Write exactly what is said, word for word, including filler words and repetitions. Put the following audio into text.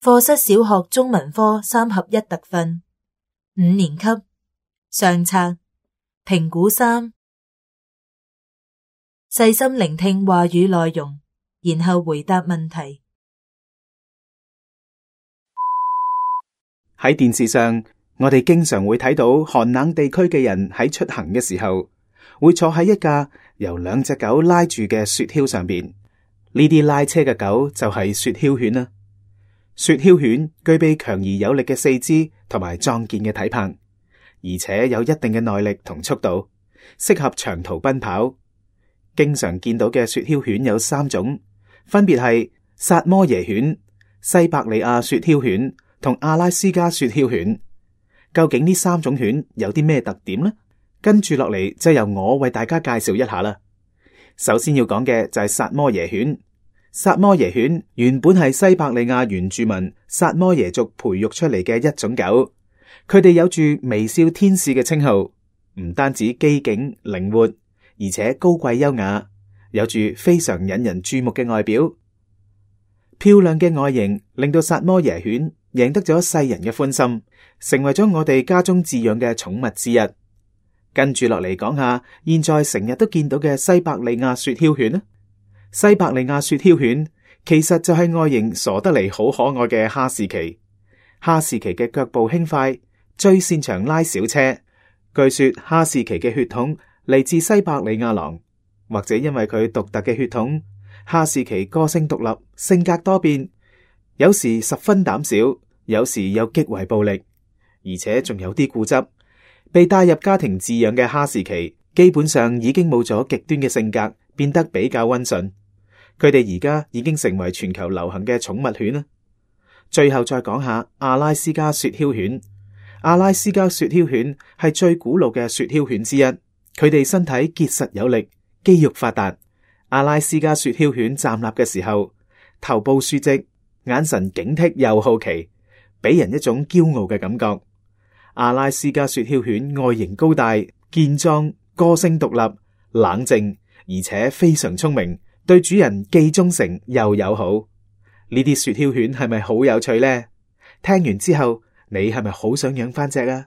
課室小學中文科三合一特訓，五年級上冊，評估三，細心聆聽話語內容，然後回答問題。喺電視上，我哋經常會睇到寒冷地區嘅人喺出行嘅時候，會坐喺一架由兩隻狗拉住嘅雪橇上邊。呢啲拉車嘅狗就係雪橇犬啦。雪橇犬具備強而有力嘅四肢同埋壯健嘅體魄，而且有一定嘅耐力同速度，適合長途奔跑。經常見到嘅雪橇犬有三種，分別係薩摩耶犬、西伯利亞雪橇犬同阿拉斯加雪橇犬。究竟呢三種犬有啲咩特點呢？跟住落嚟就由我為大家介紹一下啦。首先要講嘅就係薩摩耶犬。薩摩耶犬原本係西伯利亞原住民薩摩耶族培育出嚟嘅一種狗，佢哋有住微笑天使嘅稱號，唔單止機警靈活，而且高貴優雅，有住非常引人注目嘅外表。漂亮嘅外形令到薩摩耶犬贏得咗世人嘅歡心，成為咗我哋家中飼養嘅寵物之一。跟住落嚟講下，現在成日都見到嘅西伯利亞雪橇犬啦。西伯利亞雪橇犬其實就係外形傻得嚟好可愛嘅哈士奇。哈士奇嘅腳步輕快，最擅長拉小車。據說哈士奇嘅血統嚟自西伯利亞狼，或者因為佢獨特嘅血統，哈士奇個性獨立，性格多變，有時十分膽小，有時又極為暴力，而且仲有啲固執。被帶入家庭飼養嘅哈士奇基本上已經冇咗極端嘅性格，變得比較溫順。佢哋而家已經成為全球流行嘅寵物犬啦。最後再講下阿拉斯加雪橇犬。阿拉斯加雪橇犬係最古老嘅雪橇犬之一，佢哋身體結實有力，肌肉發達。阿拉斯加雪橇犬站立嘅時候，頭部豎直，眼神警惕又好奇，俾人一種驕傲嘅感覺。阿拉斯加雪橇犬外形高大、健壯、個性獨立、冷靜，而且非常聰明。對主人既忠誠又友好，呢啲雪橇犬係咪好有趣呢？聽完之後，你係咪好想養返隻啊？